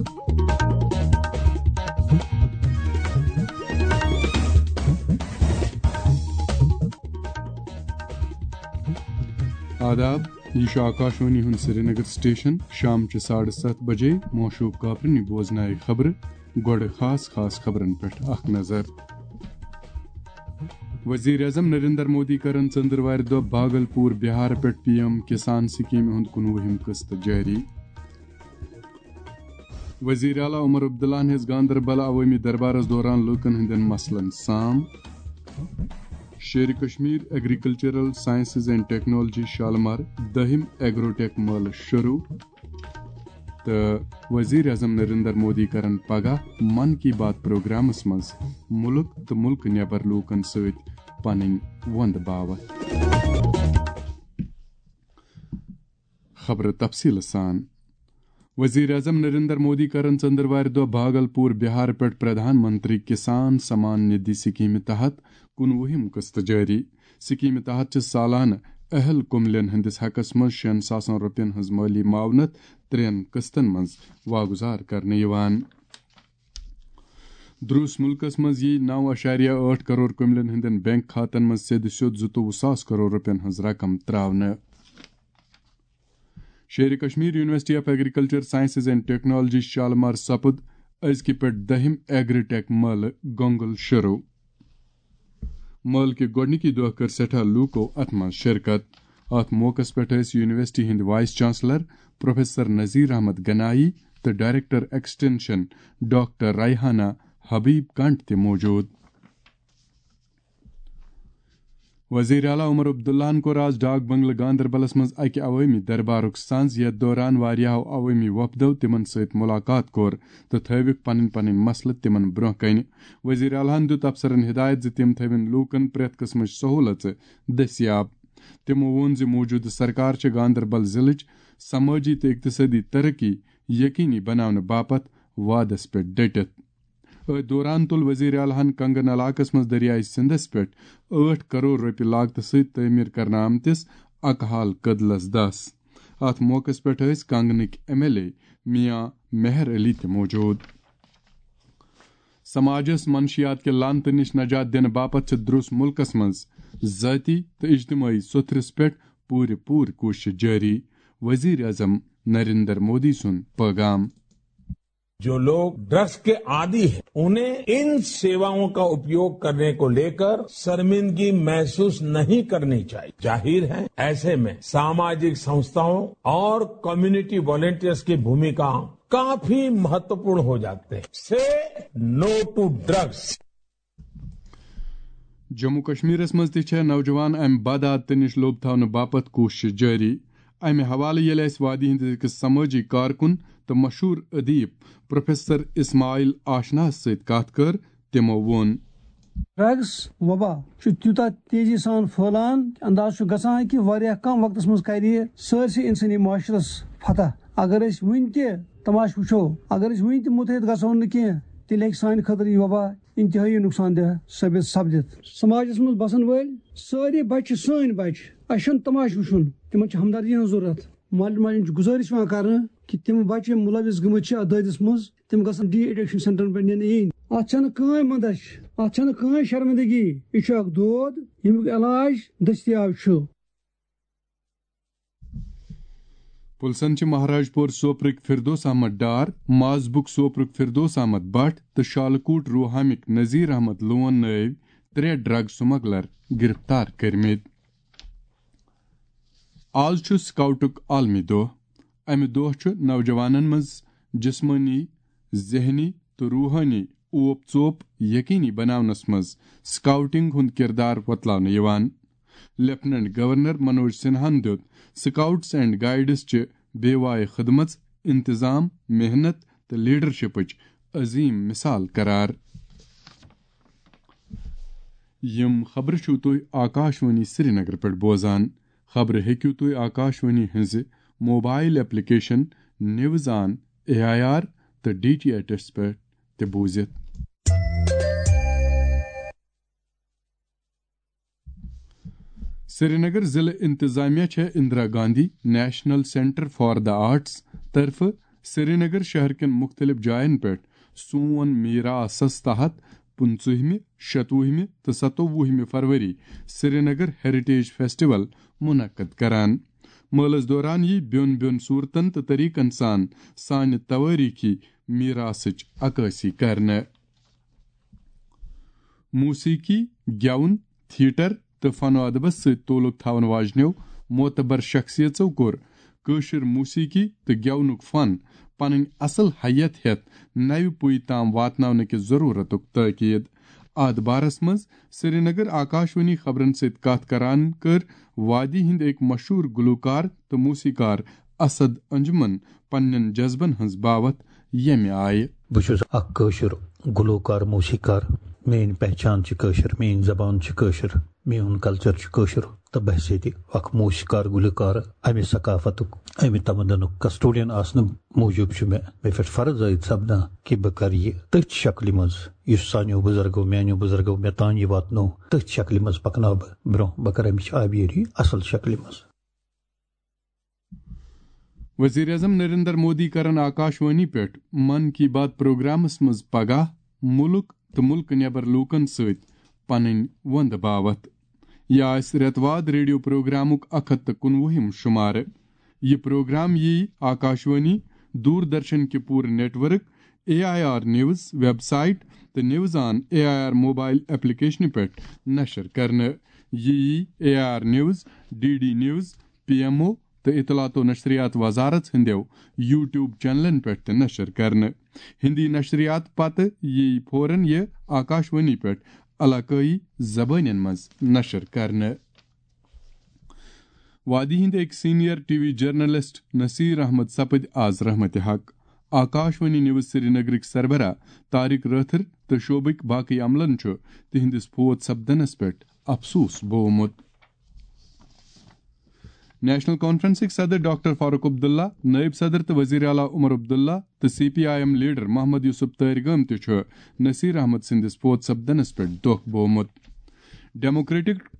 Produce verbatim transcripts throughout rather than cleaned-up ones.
آداب، یہِ چھُ آکاشوانی ہُنٛد سرینگر سٹیشن۔ شام چہِ ساڑٕ ستھ بجے موشوٗب کاپرنہِ بوزنایہِ خبرٕ۔ گۄڈٕ خاص خاص خبرن پٮ۪ٹھ اکھ نظر۔ وزیر اعظم نریندر مودی کرن ژٔنٛدٕروارِ دۄہ باگلپور بہار پٮ۪ٹھ پی ایم کسان سکیمہِ ہُنٛد کُنوُہِم قسط جٲری۔ وزیر اعلیٰ عمر عبداللہ ہن ہیٚژ گاندربل عوٲمی دربارس دوران لوٗکن ہٕنٛدٮ۪ن مسلن سام۔ Sher Kashmir agricultural sciences and technology Shalimar دٔہِم ایگروٹیک مٲلہٕ شروٗع۔ تہٕ وزیر اعظم نریندر مودی کرن پگاہ من کی بات پروگرامس منٛز مُلک تہٕ مُلکہٕ نٮ۪بر لوٗکن سۭتۍ پنٕنۍ وۄندٕ باوتھ۔ خبرٕ تفصیٖلہٕ سان۔ وزیر اعظم نریندر مودی کرن ژٔنٛدٕروارِ دۄہ بھاگلپور بہار پٮ۪ٹھ پردھان منتری کسان سمان ندھی سکیمہِ تحت کُنوُہِم قسط جٲری۔ سکیمہِ تحت چھِ سالانہٕ اہل کُملٮ۪ن ہٕنٛدِس حقس منٛز شیٚن ساسن رۄپین ہٕنٛز مٲلی معاونت ترٛٮ۪ن قسطن منٛز واگُزار کرنہٕ یِوان۔ درٛوس مُلکس منٛز یِیہِ نو اَشاریہ ٲٹھ کرور کُملٮ۪ن ہٕنٛدٮ۪ن بینک کھاتن منٛز سیٚدِ سیوٚد زٕتووُہ ساس کرور رۄپین ہٕنٛز رقم ترٛاونہٕ۔ Sher Kashmir university of agriculture sciences and technology Shalimar سپُد أزکہِ پٮ۪ٹھ دٔہِم ایگری ٹیک مٲلہٕ گۄنگل شروٗع۔ مٲلہٕ کہِ گۄڈٕنِکی دۄہ کٔر سٮ۪ٹھاہ لوٗکو اَتھ منٛز شرکت۔ اَتھ موقعس پٮ۪ٹھ ٲسۍ یونیورسٹی ہٕنٛدۍ vice chancellor professor Nazir Ahmad Ganai تہٕ director extension doctor Rehana Habib Kanth تہِ موجود۔ وزیر اعلیٰ عمر عبداللہن کوٚر آز ڈاک بنگلہٕ گاندربلس منٛز اکہِ عوٲمی دربارُک سنز، یتھ دوران واریاہو عوٲمی وفدو تِمن سۭتۍ مُلاقات کوٚر تہٕ تھٲوِکھ پنٕنۍ پنٕنۍ مسلہٕ تِمن برونٛہہ کنہِ۔ وزیر اعلیٰ ہن دیُت افسرن ہدایت زِ تِم تھٲوِن لوٗکن پرٛٮ۪تھ قٕسمٕچ سہوٗلژٕ دٔستیاب۔ تِمو ووٚن زِ موجودٕ سرکار چھِ گاندربل ضلعٕچ سمٲجی تہٕ اقتصٲدی ترقی یقینی بناونہٕ باپتھ وعدس پٮ۪ٹھ ڈٔٹِتھ۔ أتھۍ دوران تُل وزیر اعلیٰ ہن کنگن علاقس منٛز دریائے سندس پٮ۪ٹھ ٲٹھ کرور رۄپیہِ لاگتہٕ سۭتۍ تعمیٖر کرنہٕ آمتِس اکہال کدلس دس۔ اتھ موقعس پٮ۪ٹھ ٲسۍ کنگنٕکۍ ایم ایل اے میاں مہر علی تہِ موجود۔ سماجس منشیات کہِ لعنتہٕ نِش نجات دِنہٕ باپتھ چھِ درٛوس مُلکس منٛز ذٲتی تہٕ اجتمٲعی سوٚتھرِس پٮ۪ٹھ پوٗرٕ پوٗرٕ کوٗشش جٲری، وزیر اعظم نریندر مودی سُنٛد پٲغام۔ जो लोग ड्रग्स के आदी हैं, उन्हें इन सेवाओं का उपयोग करने को लेकर शर्मिंदगी महसूस नहीं करनी चाहिए। जाहिर है, ऐसे में सामाजिक संस्थाओं और कम्युनिटी वॉलंटियर्स की भूमिका काफी महत्वपूर्ण हो जाते हैं। से नो टू ड्रग्स। جموں کشمیرس منٛز تہِ چھےٚ نوجوان امہِ بدعادتہٕ نِش لوٚب تھاونہٕ باپتھ کوٗشش جٲری۔ امہِ حوالہٕ ییٚلہِ اسہِ وادی ہٕنٛدِس أکِس سمٲجی کارکُن تہٕ مشہوٗر ادیب پروفیسر اسماعیل آشناہس سۭتۍ کتھ کٔر، تِمو ووٚن۔ ڈرگس وبا چھُ تیوٗتاہ تیزی سان پھٔہلان، انداز چھُ گژھان کہِ واریاہ کم وقتس منٛز کرِ یہِ سٲرسٕے انسٲنی معاشرس فتح۔ اگر أسۍ وُنہِ تہِ تماشہٕ وٕچھو، اگر أسۍ وُنہِ تہِ مُتحد گژھو نہٕ کینٛہہ، تیٚلہِ ہیٚکہِ سانہِ خٲطرٕ یہِ وبا انتہٲیی نقصان دہ ثٲبت سپدِتھ۔ سماجس منٛز بسن وٲلۍ سٲری بچہِ چھِ سٲنۍ بچہِ، اسہِ چھُنہٕ تماشہٕ وٕچھُن، تِمن چھِ ہمدردی ہٕنٛز ضروٗرت۔ مالٮ۪ن ماجٮ۪ن چھِ گُزٲرِش یِوان کرنہٕ کہِ تِم بچہِ یِم مُلوث گٔمٕتۍ چھِ اتھ دٲدِس منٛز، تِم گژھن ڈی ایڈکشن سینٹرن پٮ۪ٹھ نِنہٕ یِنۍ۔ اتھ چھنہٕ کٕہٕنۍ مندچھ، اتھ چھنہٕ کٕہٕنۍ شرمندگی۔ یہِ چھُ اکھ دود، ییٚمیُک علاج دٔستیاب چھُ۔ پُلسن چھِ مہاراج پور سوپرٕکۍ فردوس احمد ڈار، مازبُک سوپرُک فردوس احمد بٹ تہٕ شالکوٹ روہامٕکۍ نذیر احمد لون نٲوۍ ترٛےٚ ڈرگ سمگلر گرفتار کٔرمٕتۍ۔ آز چھُ سکاؤٹُک عالمی دۄہ۔ امہِ دۄہ چھُ نوجوانن منٛز جسمٲنی، ذہنی تہٕ روحٲنی اوپ ژوپ یقینی بناونس منٛز سکاؤٹنگ ہُنٛد کردار وۄتلاونہٕ یِوان۔ لیفٹیننٹ گورنر منوج سنہاہن دیُت سکاؤٹس اینڈ گائیڈس چہِ بے وایہِ خدمژ، انتظام، محنت تہٕ لیڈرشپٕچ عظیم مثال قرار۔ یِم خبرٕ چھِو تُہۍ آکاشوانی سرینگر پٮ۪ٹھ بوزان۔ خبرٕ ہیٚکِو تُہۍ آکاشوانی ہٕنٛزِ mobile application news on A I R تہٕ ڈی ٹی ایچ پٮ۪ٹھ تہِ بوٗزِتھ۔ سرینگر ضلع انتظامیہ چھےٚ Indira Gandhi national centre for the arts طرفہٕ سرینگر شہر کٮ۪ن مُختٔلِف جاین پٮ۪ٹھ سون میراثس تحت پٕنٛژٕہمہِ، شَتوُہمہِ تہٕ سَتووُہمہِ فروری سرینگر ہیریٹیج فیسٹیول منعقد کران۔ مٲلَس دوران یی بیوٚن بیوٚن صوٗرتن تہٕ طریٖقن سان سانہِ توٲریٖخی میراثٕچ عکٲسی کرنہٕ۔ موسیقی، گٮ۪وُن، تھیٹر تہٕ فن و ادبس سۭتۍ تعلق تھاون واجنیو معتبر شخصیژو کوٚر کٲشِر موسیقی تہٕ گٮ۪ونُک فن پنٕنۍ اصل حیت ہٮ۪تھ نوِ پُیہِ تام واتناونہٕ کِس ضروٗرتُک تٲکید۔ اتھ بارس منٛز سرینگر آکاشوانی خبرن سۭتۍ کتھ کران کٔر وادی ہٕنٛدۍ أکۍ مشہوٗر گلوکار تہٕ موسیقار اسد انجمن پننٮ۪ن جذبن ہٕنٛز باوتھ ییٚمہِ آیہِ۔ بہٕ چھُس اکھ کٲشُر گلوکار، موسیقار۔ میٲنۍ پہچان چھِ کٲشِر، میٲنۍ زبان چھِ کٲشِر، میون کلچر چھُ کٲشُر، تہٕ بہٕ ہسا تہِ اکھ موسیقار، گلوکار۔ امہِ ثقافتُک، امہِ تمدنُک کسٹوڈین آسنہٕ موٗجوٗب چھُ مےٚ، مےٚ پٮ۪ٹھ فرض عٲید سپدان کہِ بہٕ کرٕ یہِ تٔتھۍ شکلہِ منٛز، یُس سانیو بُزرگو، میانیو بُزرگو مےٚ تام یہِ واتنوو، تٔتھۍ شکلہِ منٛز پکناو بہٕ برونٛہہ۔ بہٕ کرٕ امِچ آبیٲری اصل شکلہِ منٛز۔ وزیر اعظم نریندر مودی کرن آکاشوانی پٮ۪ٹھ من کی بات پروگرامس منٛز پگاہ مُلک تہٕ مُلکہٕ نٮ۪بر لوٗکن سۭتۍ پنٕنۍ وۄندٕ باوتھ۔ یہِ آسہِ رٮ۪تہٕ واد ریڈیو پروگرامُک اکھ ہتھ تہٕ کُنوُہِم شُمارٕ۔ یہِ پروگرام یِیہِ آکاشوانی، دوردرشن کہِ پوٗرٕ network, A I R news website تہٕ news on A I R mobile ایپلیکیشنہِ پٮ۪ٹھ نشر کرنہٕ۔ یہِ یِیہِ A I R news, D D news, P M O تہٕ اطلاعات و نشریات وزارت ہٕنٛدیو یوٹیوب چینلن پٮ۪ٹھ تہِ نشر کرنہٕ۔ ہندی نشریات پتہٕ یِیہِ فوراً یہِ آکاشوانی پٮ۪ٹھ علاقٲیی زبٲنٮ۪ن منٛز نشر کرنہٕ۔ وادی ہٕنٛدۍ أکۍ senior T V journalist Nasir Ahmad سپٕدۍ آز رحمتِ حق۔ آکاشوانی نیوز سرینگرٕکۍ سربراہ طارق رٲتھر تہٕ شعبٕکۍ باقٕے عملن چھُ تِہنٛدِس فوت سپدنس پٮ۪ٹھ افسوس بوومُت۔ نیشنل کانفرنسٕکۍ صدر ڈاکٹر فاروق عبداللہ، نائب صدر تہٕ وزیر اعلیٰ عمر عبداللہ تہٕ C P I M leader Mohammad Yousuf Tarigami تہِ چھُ نصیر احمد سٕنٛدِس فوت سپدنس پٮ۪ٹھ دۄکھ بوومُت۔ ڈیموکریٹک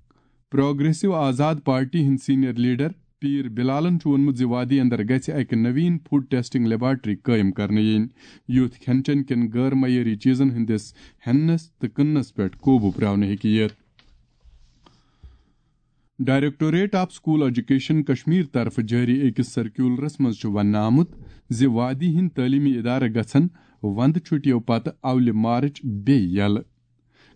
پروگریسو آزاد پارٹی ہٕنٛدۍ سینئر لیڈر پیٖر بلالن چھُ ووٚنمُت زِ وادی اندر گژھِ اکہِ نویٖن فوڈ ٹیسٹنگ لیبارٹری قٲیِم کرنہٕ یِنۍ، یُتھ کھٮ۪ن چٮ۪ن کٮ۪ن غٲر معیٲری چیزن ہٕنٛدِس ہٮ۪نس تہٕ کٕننس پٮ۪ٹھ قوبوٗ پراونہٕ ہیٚکہِ یِتھ۔ Directorate of school education Kashmir طرفہٕ جٲری أکِس سرکیولرس منٛز چھُ وننہٕ آمُت زِ وادی ہٕنٛدۍ تعلیمی ادارٕ گژھن وندٕ چھُٹیو پتہٕ اولہِ مارچ بیٚیہِ یلہٕ۔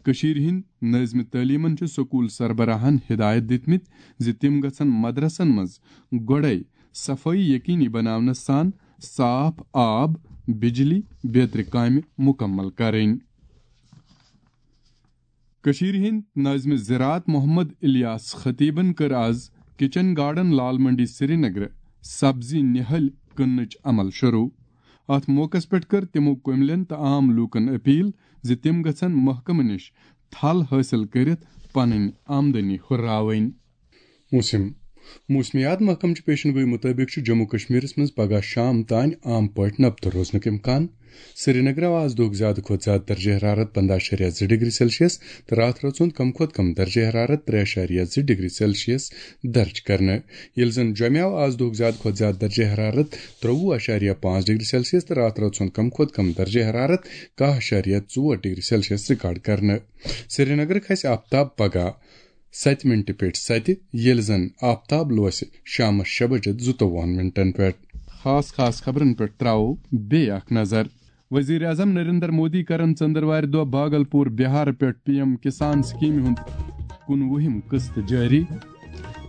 کٔشیٖرِ ہٕنٛدۍ نٲظمہِ تعلیمن چھِ سکول سربراہن ہدایت دِتمٕتۍ زِ تِم گژھن مدرسن منٛز گۄڈے صفٲیی یقینی بناونس سان صاف آب، بجلی، بیترِ کامہِ مکمل کرٕنۍ۔ کٔشیٖرِ ہٕنٛدۍ نٲظمہِ زراعت محمد الیاس خطیبن کٔر آز کچن گارڈن لال منڈی سرینگرٕ سبزی نِہٲلۍ کٕننٕچ عمل شروع۔ اتھ موقعس پٮ۪ٹھ کٔر تِمو کُملٮ۪ن تہٕ عام لوٗکن اپیل زِ تِم گژھن محکمہٕ نِش تھل حٲصِل کٔرِتھ پنٕنۍ آمدنی ہُرراوٕنۍ۔ موسم۔ موسمیات محکمہٕ چہِ پیشن گوئی مُطٲبِق چھُ جموں کشمیرس منٛز پگاہ شام تام عام پٲٹھۍ نبتہٕ روزنُک امکان۔ سرینگرٕ آو آز دۄہُک زیادٕ کھۄتہٕ زیادٕ درجہ حرارت پنٛداہ اَشاریہ زٕ ڈگری سیلسیس تہٕ راتھ رٲژ ہُنٛد کم کھۄتہٕ کم درجہ حرارت ترٛےٚ اَشاریہ زٕ ڈگری سیلسیس درج کرنہٕ، ییٚلہِ زن جوٚمہِ آو آز دۄہُک زیادٕ کھۄتہٕ زیادٕ درجہ حرارت ترٛوٚوُہ اَشاریہ پانٛژھ ڈگری سیلسیس تہٕ راتھ رٲژ ہُنٛد کم کھۄتہٕ کم درجہ حرارت کاہ اَشاریہ ژور ڈگری سیلسیس ریکارڈ کرنہٕ۔ سرینگرٕ کھسہِ آفتاب پگاہ ستہِ منٹہِ پٮ۪ٹھ ستہِ، ییٚلہِ زن آفتاب لوسہِ شامس شےٚ بجہِ زٕتووُہن منٹن پٮ۪ٹھ۔ خاص خاص خبرن پٮ۪ٹھ تراوو بیٚیہِ اکھ نظر۔ وزیر اعظم نریندر مودی کرن ژندروارِ دۄہ باگلپور بہار پٮ۪ٹھ پی ایم کسان سکیمہِ ہُنٛد کُنوُہِم قسط جٲری۔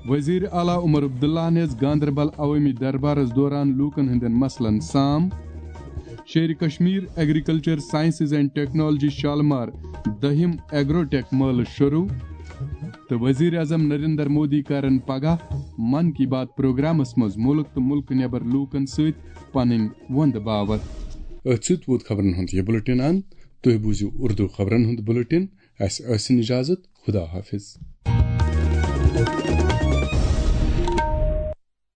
وزیر اعلیٰ عمر عبداللہ ہن ہیٚژ گاندربل عوٲمی دربارس دوران لوٗکن ہٕنٛدٮ۪ن مسلن سام۔ Sher Kashmir agriculture sciences and technology Shalimar دٔہِم ایگروٹیک مٲلہٕ شروع۔ تہٕ وزیر اعظم نریندر مودی کرن پگاہ من کی بات پروگرامس منٛز مُلک تہٕ مُلکہٕ نٮ۪بر لوٗکن سۭتۍ پنٕنۍ وۄندٕ باوتھ۔ أتھۍ سۭتۍ ووت خبرن ہُنٛد یہِ بُلٹن اند۔ تُہۍ بوٗزِو اردو خبرن ہُنٛد بُلٹن۔ اسہِ ٲسِن اجازت۔ خدا حافظ۔